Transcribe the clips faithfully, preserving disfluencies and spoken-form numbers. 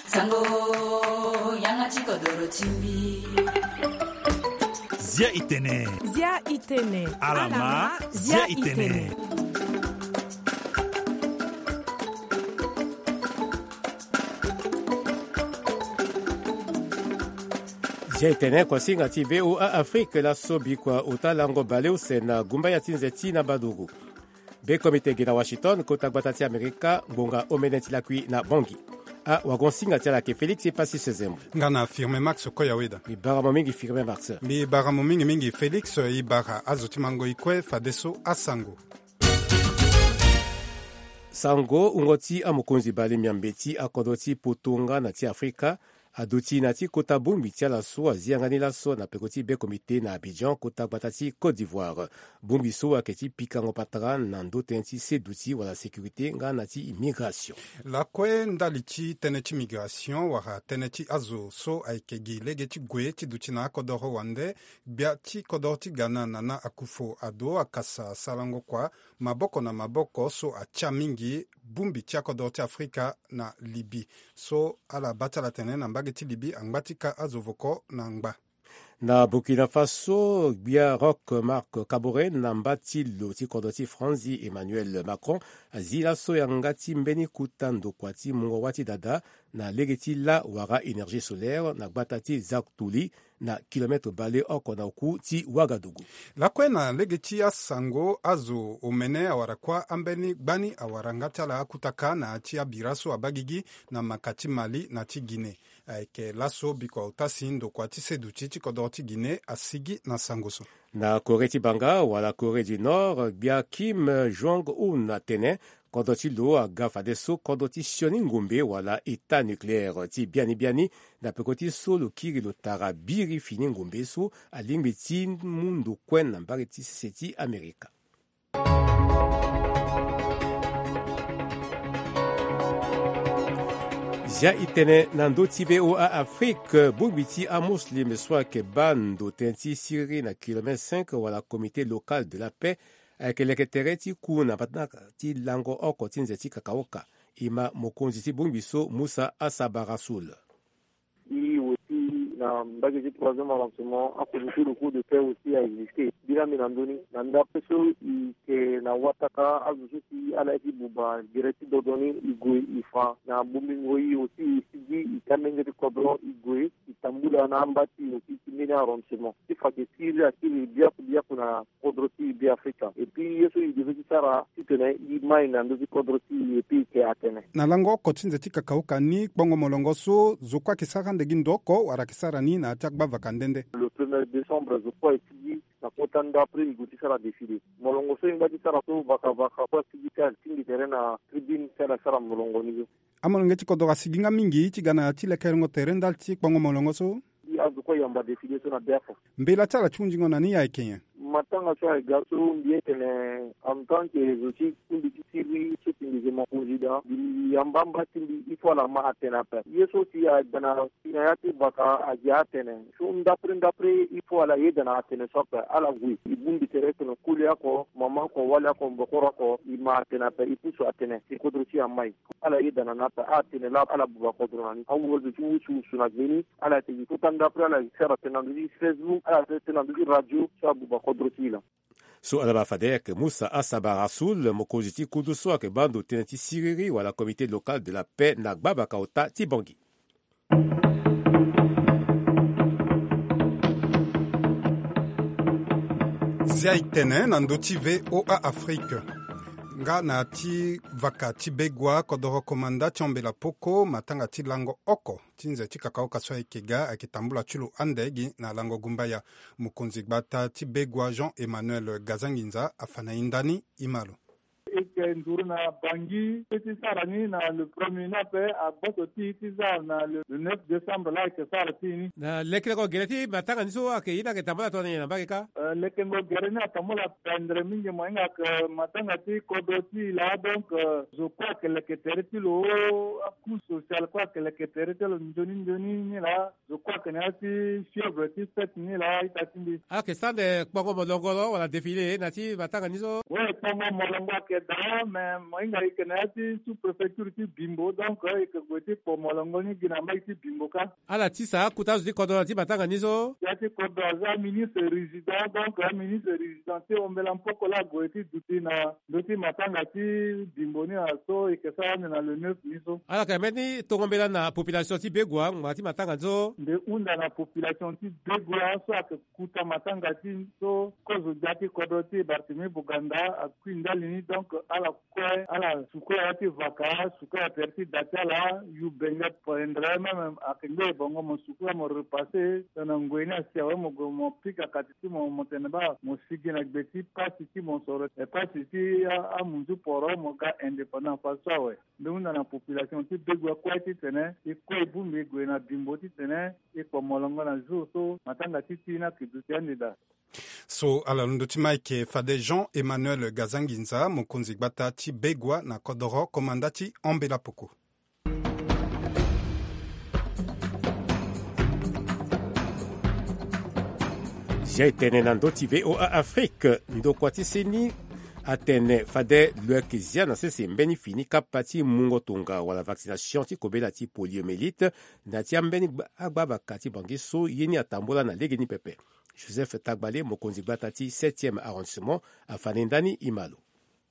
Sango, yanga ti kodoro ti mbi. Zia itene. Zia itene. Alama, zia itene. Zia itene, kuasinga ti V O A Afrique, laso bikua ota lango baleuse na gumba ya ti nze ti na Baduru. Be komite gi na Washington, kota gbata ti Amerika, ngbonga omene ti lakui na Bangui. Awagonsinga ti ala ayeke Félix Epassis Zembo. Nga na Firmin Max Koyaweda. Mbi bara mo mingi, Firmin Max. Mbi bara mo mingi mingi, Félix. E bara azo ti mango e kue, fadeso asango. Sango, wungo ti amokonzi bale miambe ti akodro ti poto nga na ti Afrika aduti na ti kota bongbi ti ala so azi yanga ni laso na peko ti be komite na Abidjan, kota gbata ti Côte d'Ivoire. Bongbi so ayeke ti pikango patara na ndo tënë ti seduti wala sécurité nga na ti immigration. Lakue ndali ti tënë ti migration wala tënë ti azo so ayeke gi lege ti gue ti duti na akodoro wande, gbia ti kodoro ti Ghana, Nana Akufo-Addo, akasa sarango kua maboko na maboko so atia mingi bongbi ti akodoro ti Afrika na Libye. So ala baa ti ala atene na mbage ti Libye angba ti ka azo voko na ngba. Na Burkina Faso, gbia Roch Marc Kaboré na mba ti lo ti kodro ti Franzi Emmanuel Macron azi laso yanga ti mbeni kota ndokua ti mungo wâ ti dada na lege ti lâ wala énergie solaire na gbata ti Zaktouli, na kilometre baleoko na oku ti Ouagadougou. Lakue na lege ti asango, azo omene awara kuâ ambeni gbani awara nga ti ala akutaka na ya ti abira so abaa gigi na maka ti Mali na ti Guinée. Ayeke laso bikua ota si ndokua ti seduti ti kodoro ti Guinée asigi na sango so. Na Corée ti banga wala Corée du Nord, gbia Kim Jong-un atene kodro ti lo aga fadeso kodro ti sioni ngombe wala état nucléaire ti biani biani, na peko ti so lo kiri lo tara biri fini ngombe so alingbi ti mu ndo kue na mbage ti sese ti Amerika. Zia itene na ndö ti V O A Afrique, bongbi ti amuslim so ayeke baa ndo tënë ti Syrie na kilomètre cinq wala Comité local de la paix ayeke leke tere ti ku na matanga ti lango oko ti nze ti kakaoka. E ma mokonzi ti bongbi so, Moussa Assaba Rassoul. E aussi na mbage ti troisième arrondissement, akomité locaux de paix aussi a existé. Mbi laa mbi na ndö ni na ndapre so e yeke na wataka azo so si ala ye ti buba gere ti dodo ni, e gue e fa na bongbingo. E aussi e sigi e ti amenge ti kodro, e gue e tambula na amba ti e aussi ti mbeni arrondissement ti fa ke Syrie akiri biaku biaku na kodro ti e Be Afrika. Et puis ye so e devait ti sara titene e mai na ndö ti kodro ti e, et puis e yeke atene. Na lango oko ti nze ti kakaoka ni, kpongo molongo so zo kue ayeke sara ande gi ndo oko wala ayeke sara ni na ya ti agbavaka nde nde? Le premier décembre zo kue e sigi na kota ndapre e gue ti sara défilé. Molongo so e ngba ti sara so, vakavaka kue asigi ti atingbi tere na tribune ti ala sara molongo ni so. Amolenge ti kodro asigi nga mingi ti ga na ya ti lekerengo tere ndali ti kpongo molongo so? Azo kue ayamba défilé so na biafo. Mbela ti ala ti hunzingo na ni ayeke nyen? Matanga so ayeke ga so, mbi ye tene en tant que zo ti kungbi ti Syrie so si mbi yeke mokonzi daa, mbi yamba amba ti mbi, il faut ala ma atene ape. Ye so si ayeke ga na, na ya ti vaka, ayeke atene so ndapre ndapre il faut ala yeda na atene so ape. Ala gue e bongbi tere tene koli oko, mama oko, wali oko, mbokoro oko, e ma atene ape, e pusu atene si kodro ti e amai. Ala yeda na ni ape, atene laa ala buba kodro na ni. Awuruzu ti wusuwusu na gbeni, ala yeke gi kota ndapre, ala yeke sara tene na ndö ti Facebook, ala yeke tene na ndö ti radio so abuba kodro ti e laa. So ala baa fade ayeke Moussa Assaba Rassoul, mokonzi ti kudu so ayeke baa ndo tënë ti siriri wala Comité local de la paix na gbabaka ota ti Bangui. Zia e tene na ndö ti V O A Afrique. Nga na ya ti vaka ti Begua, kodoro komanda ti Ambela Poko, matanga ti lango oko ti nze ti kakaoka so ayeke ga ayeke tambula ti lo ande gi na lango gumbaya. Mokonzi gbata ti Begua, Jean Emmanuel Gazanginza, afa na e ndani, e ma lo. E yeke nduru na Bangui ti sara ni na le premier ni ape, agboso ti e ti sara na le, le neuf décembre laa e yeke sara ti e ni. Na lekerengo gere ti matanga ni so ayeke ye ni ayeke tambula tongana nyen na mbage kâ? Eh, lekerengo gere ni atambula pendere mingi, mo hinga ayeke matanga ti kodro ti e laa, donc, eh, zo kue ayeke leke tere ti lo, acouche sociale kue ayeke leke tere ti lo nzoni nzoni ni laa, zo kue tene ya ti fièvre ti fête ni laa ita ti mbi. Ala yeke sande kpongo molongo lo wala défilé na ti matanga ni so? We, kpongo molongo ayeke daa, me mo hinga e yeke na ya ti sous-préfecture ti Bimbo, donc e yeke gue ti kpo molongo ni gi na mbage ti Bimbo kâ. Ala tisa akota azo ti kodro na ti matanga ni so? Ya ti kodro aza ministre résident, donc aministre résident ti ombela mpoko laa ague ti duti na ndö ti matanga ti Bimbo ni na so e yeke sara ande na le neuf ni so. Ala yeke mbeni tongo mbela na population ti Begoua ngbanga ti matanga ni so? Mbi hunda na population ti Begoua so ayeke kuta matanga ti so kozo gbia ti kodro ti Barthélemy Boganda akui ndali ni, donc ala kue ala sukula ya ti vaka, sukula tere ti da ti ala, yu benge poindre même ayeke ngbele bongo mo sukula mo repasse tongana ngoi ni asi awe mo gue mo pika kati ti mo, mo tene baa mo sigi na gbe ti pasi ti mo soro, e pasi ti a, amunzu poro mo ga indépendant fa so awe. Mbi hunda na population ti Begoua kue titene e kue e bongbi e gue na Bimbo titene e kpo molongo na jour so matanga ti ti ni ayeke duti ande daa. So ala londo ti Mike fade Jean Emmanuel Gazanginza, mokonzi gbata ti Begoua na kodoro, komanda ti Ambela Poko. Zia e tene na ndö ti V O A Afrique, ndokua ti seni atene fade lo yeke zia na sese mbeni fini kapa ti mungo tonga wala vaccination ti kobela ti poliomyélite na ti ambeni gba-, agbavaka ti Bangui so ye ni atambula na legeni pepe. Joseph Tagbale, mokonzi gbata ti septième arrondissement, afa ni ndani e ma lo.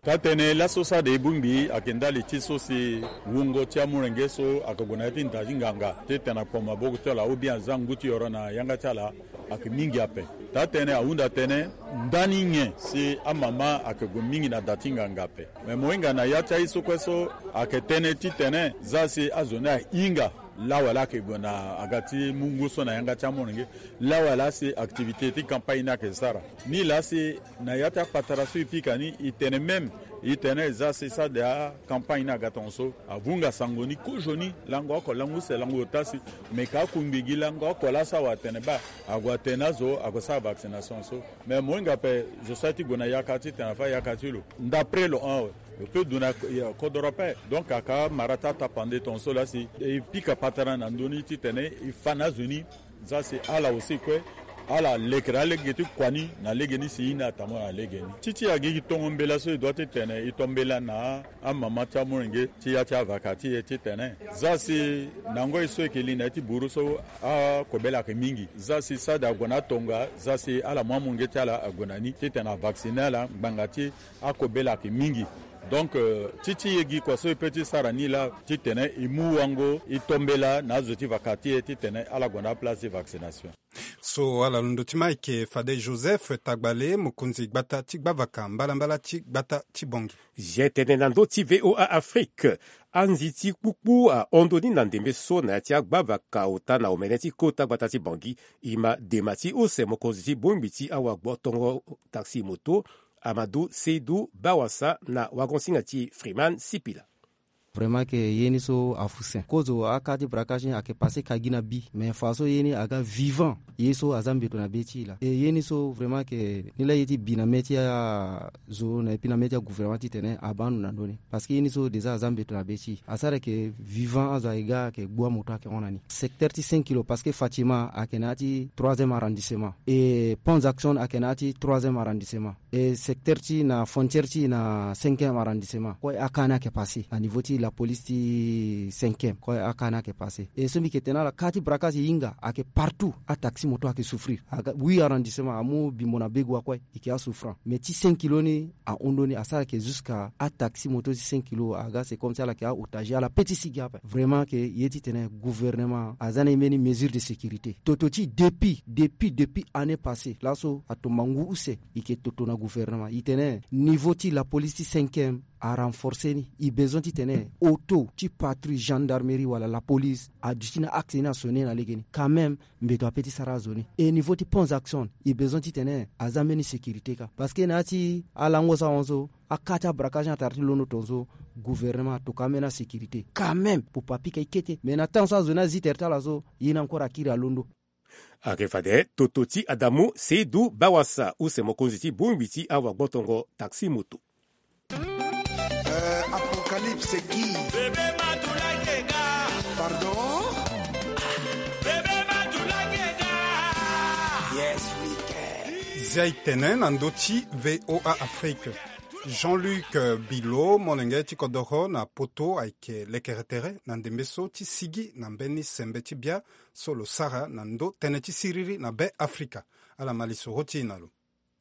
Taa-tënë laso sade e bongbi ayeke ndali ti so si wungo ti amolenge so ayeke gue na ya ti nda ti nganga titene akpo maboko ti ala ou bien aza ngu ti yoro na yanga ti ala ayeke mingi ape. Taa-tënë ahunda tënë ndani nyen si amama ayeke gue mingi na da ti nganga ape. Me mo hinga na ya ti aye so kue so ayeke tënë titene za si azo ni ahinga lawala ayeke gue na aga ti mungo so na yanga ti amolenge. Lawala si activité ti campagne ni ayeke sara. Nilaa si na ya ti akpatara so e pika ni e tene même e tene za si sade acampagne ni aga tongaso avunga sango ni kozoni lango oko lango use lango ota si. Me ka akungbi gi lango oko laa so awe atene baa ague atene azo ague sara vaccination so. Me mo hinga ape zo so aye ti gue na yaka titene afa yaka ti lo. Ndapre lo hon awe. Lo peut duti na, eh, kodoro ape. Donc aka mara ti atapande tongaso laa si e pika patara na ndö ni titene e fa na azo ni. Za si ala aussi kue ala lekere alege ti kua ni na lege ni si e ni atambula na lege ni. Ti ti agigi tongo mbela so e doit titene e to mbela na amama ti amolenge ti ya ti avaka ti e titene za si na ngoi so e yeke li na ya ti buru so akobela ayeke mingi. Za si sade ague na atonga za si ala mu amolenge ti ala ague na ni titene avacciner ala ngbanga ti akobela ayeke mingi. Donc, euh, ti ti e gi kua so e peut ti sara ni laa titene e mu wango e to mbela na azo ti vaka ti e titene ala gue na aplace ti vaccination. So ala londo ti Mike fade Joseph Tagbale, mokonzi gbata ti gbavaka mbalambala ti gbata ti Bangui. Zia e tene na ndö ti V O A Afrique. Anzi ti kpukpu ahon ndö ni na ndembe so na ya ti agbavaka ota na omene ti kota gbata ti Bangui. E ma dema ti use mokonzi ti bongbi ti awagbotongo taxi moto, Amadou Seydou Bawassa na wagon-singa ti Freeman Sipila. Vraiment que ye ni so afu sen. Kozo aka ti braquage ni ayeke passé ka gi na bi. Mais fa so ye ni aga vivant. Ye so aza mbeto na be ti e laa. E ye ni so vraiment que ni laa ye ti bi na mê ti azo na e puis na mê ti agouvernement titene abaa ndo na ndö ni. Parce que ye ni so déjà aza mbeto na be ti e. Asara ayeke vivant azo ayeke ga ayeke gbu amoto ayeke hon na ni. Secteur ti cinq kilo parce que Fatima ayeke na ya ti troisième arrondissement. E Pont Jackson ayeke na ya ti troisième arrondissement. E secteur ti na frontière ti na cinquième arrondissement. Kue aka ni ayeke passé na niveau ti la police ti cinquième. Kue aka ni ayeke passé. E so mbi yeke tene ala ka ti braquage e hinga ayeke partout. Ataxi moto ayeke souffrir. Aga huit arrondissement amu Bimbo na Begoua kue. E yeke asouffrant. Mais ti cinq kilo ni ahon ndö ni asara ayeke jusqu'à ataxi moto ti cinq kilo aga c'est comme si ala yeke aotage ala peut ti sigi ape. Vraiment que ye titene gouvernement aza na e mbeni mesure de sécurité. Toto ti depuis, depuis, depuis année passée laso atomba ngu use. E yeke toto na gouvernement e tene niveau ti la police ti cinquième arenforcer ni. E besoin titene auto ti patrouille gendarmerie wala la police aduti na axe ni asonner na lege ni. Quand même mbeto apeut ti sara azo ni. E niveau ti Pont Jackson e besoin titene aza mbeni sécurité kâ. Parce que na ya ti alango so ahon so aka ti abraquage ni atara ti londo tongaso gouvernement atoka ambeni asécurité quand même. Popo apika e kete mais na temps so azo ni azi tere ti ala so ye ni encore akiri alondo. Ayeke fade toto ti Adamu Seydou Bawassa use mokonzi ti bongbi ti awagbotongo taxi moto. Euh, Apocalypse qui? Bébé Matoula Keka. Pardon? Bébé Matoula Ti aye tene na ndö ti VOA Afrique. Jean-Luc Bilo, molenge ti kodoro na Poto, ayeke lekere tere na ndembe so ti sigi na mbeni sembe ti bia so lo sara na ndö tënë ti siriri na Be Afrika. Ala ma lisoro ti e na lo.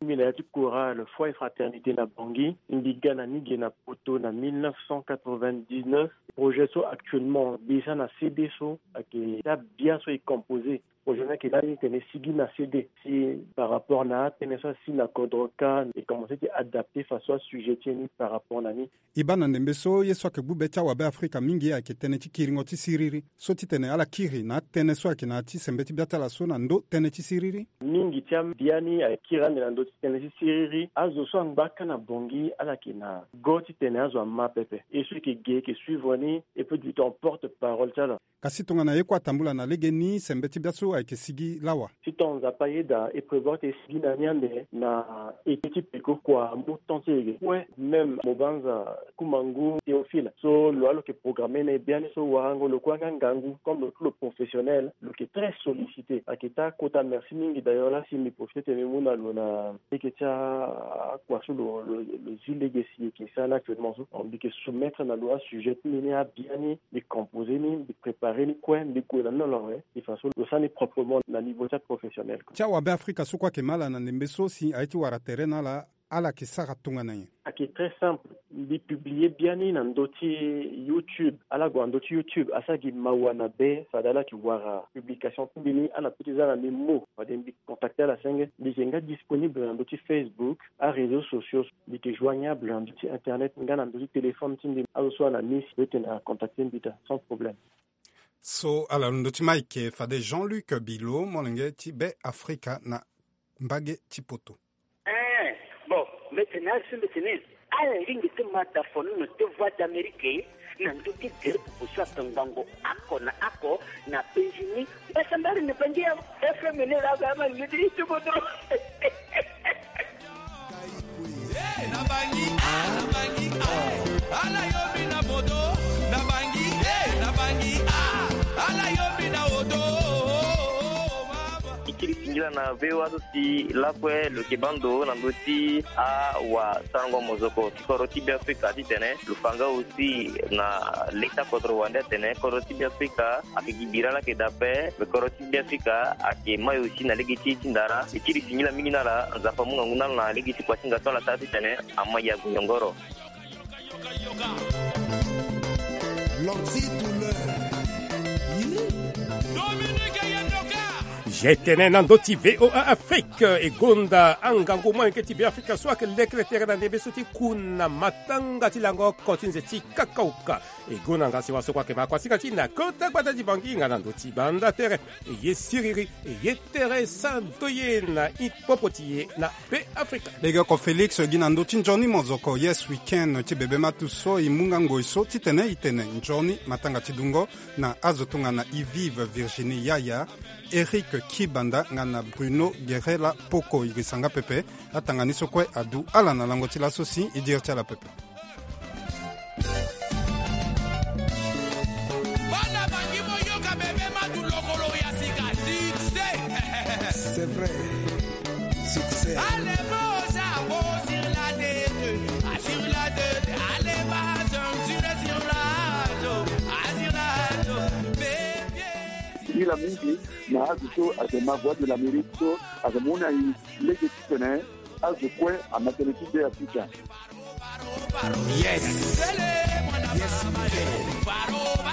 Mbi na ya ti kora le Foi Fraternité na Bangui, mbi ga na ni ge na Poto na mille neuf cent quatre-vingt-dix-neuf. Projet so actuellement besa na C D so ayeke daa bia so e composé. Projet ni ayeke lani tene sigi na C D si par rapport na atënë so asi na kodro ka e commencé ti adapté faso asujet ti e ni par rapport na ni. E baa na ndembe so ye so ayeke gbu be ti awabe Afrika mingi ayeke tënë ti kiringo ti siriri. So titene ala kiri na atënë so ayeke na ya ti sembe ti bia ti ala so na ndö tënë ti siriri. Mingi ti abia ni ayeke kiri ande na ndö ti tënë ti siriri. Azo so angba ka na Bangui ala yeke na go titene azo ama pepe. E so e yeke ge e yeke suivre ni, e peut du temps porte parole ti ala. Kasi tongana ye kue atambula na legeni, sembe ti bia so ayeke sigi lawa. Ti ton Nzapa ayeda e prévoir ti e sigi na ni ande na eke ti peko kua amu temps ti e ge kue. Même mo banza Kumangu Théophile so lo wa lo yeke programmé na e biani so warango lo kue anga ngangu comme lo tout lo professionnel, lo yeke très sollicité. Ayeke taa kota merci mingi. D'ailleurs la si mbi profité ti mbi mu na lo na lege ti akua so lo, lo, lo zi lege si e yeke sara ni actuellement so, mbi yeke soumettre na lo asujet ti mbi ni, abia ni, mbi composé ni, mbi préparé ni kue, mbi gue na ni na lo awe. De façon lo sara ni proprement na niveau ti aprofessionnel. Ti awabe Afrika so kue ayeke ma ala na ndembe so si aye ti wara tere na ala, ala yeke sara tongana nyen? Ayeke très simple. Mbi publié biani na ndö ti YouTube. Ala gue na ndö ti YouTube, asara gi mawa na be fade ala yeke wara publication ti mbi ni. Ala peut ti za na mbi mot fade mbi contacté ala senge. Mbi yeke nga disponible na ndö ti Facebook, aréseaux sociaux. Mbi yeke joignable na ndö ti internet nga na ndö ti téléphone ti mbi. Azo so ana miss peut ti na contacté mbi daa sans problème. So ala londo ti Mike fade Jean-Luc Bilo, molenge ti Be Afrika na mbage ti Poto. Eh, bon, mbi tene azo mbi tene ala ringi ti ma da fono na te Voix d'Amérique na ndö ti groupe oso ake ngango oko na oko na Benjini. Mbasambari na Bangi ya F M ni la ga ma ni ti ti bodro. Eh, na Bangi, ah, na Bangi, ah, ala yombi na bodo, na Bangi, eh, na Bangi, ah, ala yombi na odo. Ikiri singila na V O A so si lakue lo yeke baa ndo na ndö ti awasarango mozoko ti kodro ti Be Afrika titene lo fa nga aussi na leta kodro wande atene kodro ti Be Afrika ayeke gi bira lake dape, mais kodro ti Be Afrika ayeke mai aussi na lege ti e ti ndara. E kiri singila mingi na ala, Nzapa amu ngangu na ala na lege ti kua ti nga so ala sara titene ama yagu nyongoro. L'anti-douleur. Ye tene na ndö ti V O A Afrique, e gonda angangu molenge ti Be Afrika so ayeke lekere tere na ndembe so ti ku na matanga ti lango oko ti nze ti kakauka. E gonda nga si wa so kue ayeke ma kuasinga ti e na kota gbata ti Bangi nga na ndö ti banda tere. E ye siriri, e ye tere santo ye na e popo ti e na Be Afrika. Legeoko Félix gi na ndö ti nzoni mozoko Yes Weekend ti bebe matu so e mu nga ngoi so titene e tene nzoni matanga ti dungo na azo tongana Yves Virginie Yaya, Eric Kibanda nga na Bruno Guerrela Poko. E yeke sanga pepe. Atanga ni so kue adu ala na lango ti laso si e diri ti ala pepe. Bana Bangi mo yoka bebe matu lokolo ya sika, succès. C'est vrai. Succès. Allez, Moza, go sur la tête, ah, sur la tête, allez, va, sur, sur, sur la, ah, sur la, bébé. Singila mingi na azo so ayeke ma Voix de l'Amérique so ayeke mu na e lege titene azo kue ama tënë ti Be Afrika. Yes. Yes, we can.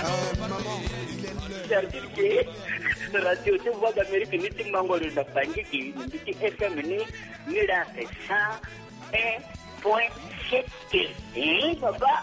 Euh, maman, il est l'heure. C'est-à-dire que radio ti Voix d'Amérique ni ti mango lo na Bangi gi, ni ti F M ni, ni la c'est cent un point sept. Eh, papa.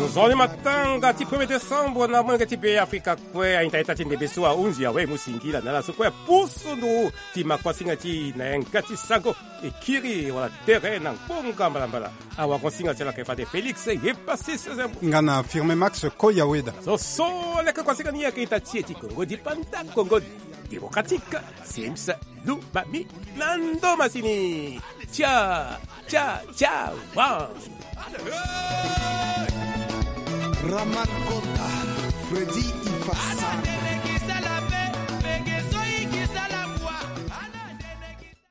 Nzoni matanga ti premier décembre na molenge ti Be Afrika kue, aita ita ti ndembe so ahunzi awe mu singila na ala so kue apusu nduru ti ma kuasinga ti e na yanga ti sango. E kiri wala tere na ngbonga mbalambala. Awakuasinga ti ala ayeke fade Félix ye pasi sese. Nga na Firme Max Koyaweda. So so leke kuasinga ni ayeke ita ti e ti Kongo dipanda, Kongo Démocratique, Sims Lubami na ndo masini. Tia, tia, tia, wa. Raman Kota. Redit il fa sara.